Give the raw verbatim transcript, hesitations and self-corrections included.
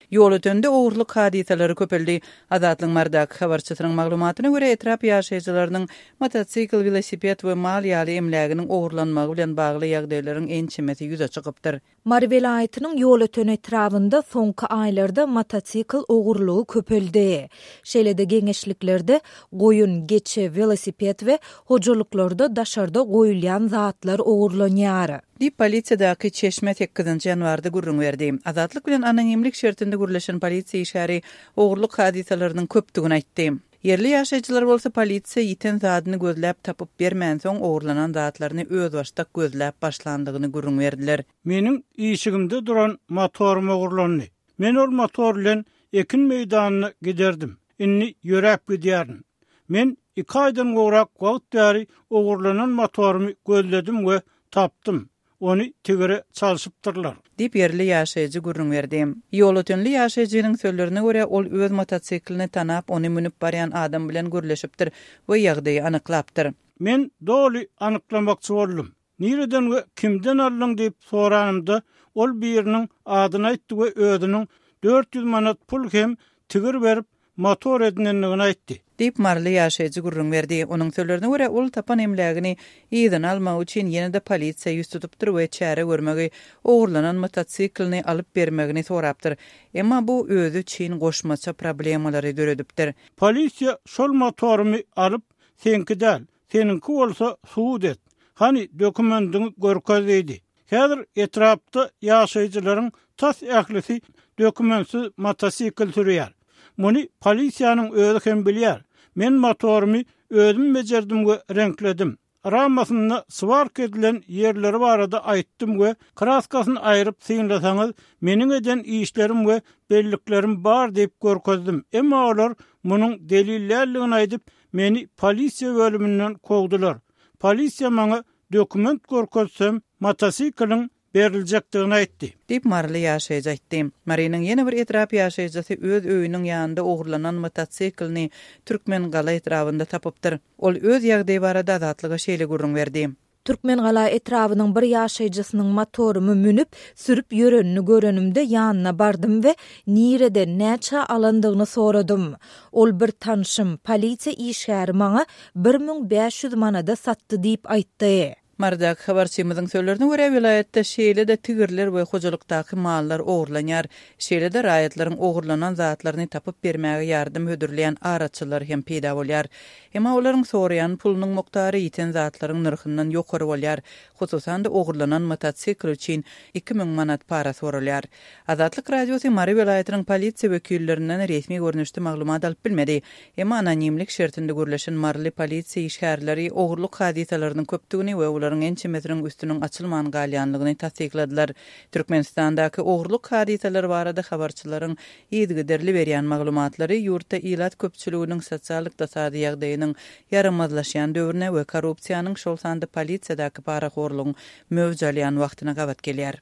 Ýolötende ogurlyk hadysalary köpeldi. Azatlygyň Marydaky habarçysynyň maglumatyna görä, etrap ýaşaýjylarynyň motosikl, welosiped we mal ýaly emläginiň ogurlanmagy bilen bagly ýagdaýlaryň ençemesi ýüze çykypdyr. Mary welaýatynyň Ýolöten etrabynda soňky aýlarda motosikl ogurlygy köpeldi. Şeýle-de geňeşliklerde goýun, geçi, welosiped we hojalyklarda daşarda goýulýan zatlar ogurlanýar. Diýip, polisiýadaky çeşme sekizinji ýanwarda gürrüň berdi. Azatlyk bilen anonimlik şertinde gürleşen polisiýa işgäri ogurlyk hadysalarynyň köpdügini aýtdy. Ýerli ýaşaýjylar bolsa polisiýa ýiten zadyny gözläp tapyp bermänsoň ogurlanan zatlaryny özbaşdak gözläp başlandygyny gürrüň berdiler. Meniň işigimde duran motorym ogurlandy. Men ol motor bilen ekin meýdanyna giderdim. Indi ýöräp gidýärin. Men iki aýdan gowrak wagt bäri ogurlanan motorymy gözledim we tapdym. Ony tigire çalşypdyrlar. Diýip, ýerli ýaşaýjy gürrüň berdi. Ýolötenli ýaşaýjynyň sözlerine görä, ol öz motosiklini tanap, ony münüp barýan adam bilen gürleşipdir we ýagdaýy anyklapdyr. Men doly anyklamakçy boldum. Nireden we kimden aldyň diýip soranymda, ol biriniň adyny aýtdy we özüniň dört ýüz manat pul hem tigir berip, motor edinendigini aýtdy. Diýip, maryly ýaşaýjy gürrüň berdi. Onuň sözlerine görä, ol tapan emlägini yzyna almak üçin ýene-de polisiýa ýüz tutupdyr we çäre görmegi, ogurlanan motosiklini alyp bermegini sorapdyr. Emma bu özi üçin goşmaça problemalary döredipdir. Polisiýa şol motorymy alyp, seňki däl, seniňki bolsa subut et. Hany dokumendiňi görkez diýdi. Häzir etrapda ýaşaýjylaryň tas ählisi dokumentsiz motosikl sürýär. Muny polisiýanyň özi hem bilýär. Men motorymy özüm bejerdim we reňkledim. Ramasynda swark edilen ýerleri barada aýtdym we kraskasyny aýryp synlasaňyz, meniň eden işlerim we belliklerim bar diýip görkezdim. Emma olar munuň delillerligini aýdyp, meni polisiýa bölüminden kowdular. Polisiýa maňa dokument görkezsem, motosikliň beriljekdigini aýtdy. Diýip, maryly ýaşaýjy aýtdy. Marynyň ýene bir etrap ýaşaýjysy öz öýüniň ýanynda ogurlanan motosiklini Türkmengala etrabynda tapypdyr. Ol öz ýagdaýy barada Azatlyga şeýle gürrüň berdi. Türkmengala etrabynyň bir ýaşaýjysynyň motorymy münüp, sürüp ýörenini görenimde ýanyna bardym we nireden, näçe alandygyny soradym. Ol bir tanşym, polisiýa işgäri maňa bir müň bäş ýüz manada satdy diýip aýtdy. Marydaky habarçymyzyň sözlerine görä, welaýatda şeýle-de tigirler we hojalykdaky mallar ogurlanýar. Şeýle-de raýatlaryň ogurlanan zatlaryny tapyp bermäge ýardam hödürleýän araçylar hem peýda bolýar. Emma olaryň soraýan pulunyň mukdary ýiten zatlaryň nyrhyndan ýokary bolýar. Hususan-da ogurlanan motosikl üçin iki müň manat para soralýar. Azatlyk Radiosy Mary welaýatynyň polisiýa wekillerinden resmi görnüşde maglumat alyp bilmedi. Emma anonimlik şertinde gürleşen maryly polisiýa işgärleri ogurlyk hadysalarynyň köpdügini we olaryň ençemesiniň üstüniň açylman galýanlygyny tassykladylar. Türkmenistandaky ogurlyk hadysalary barada habarçylaryň yzygiderli berýän maglumatlary ýurtda ilat köpçüliginiň sosial-ykdysady ýagdaýynyň ýaramazlaşýan döwrüne we korrupsiýanyň, şol sanda polisiýadaky parahorlugyň möwç alýan wagtyna gabat gelýär.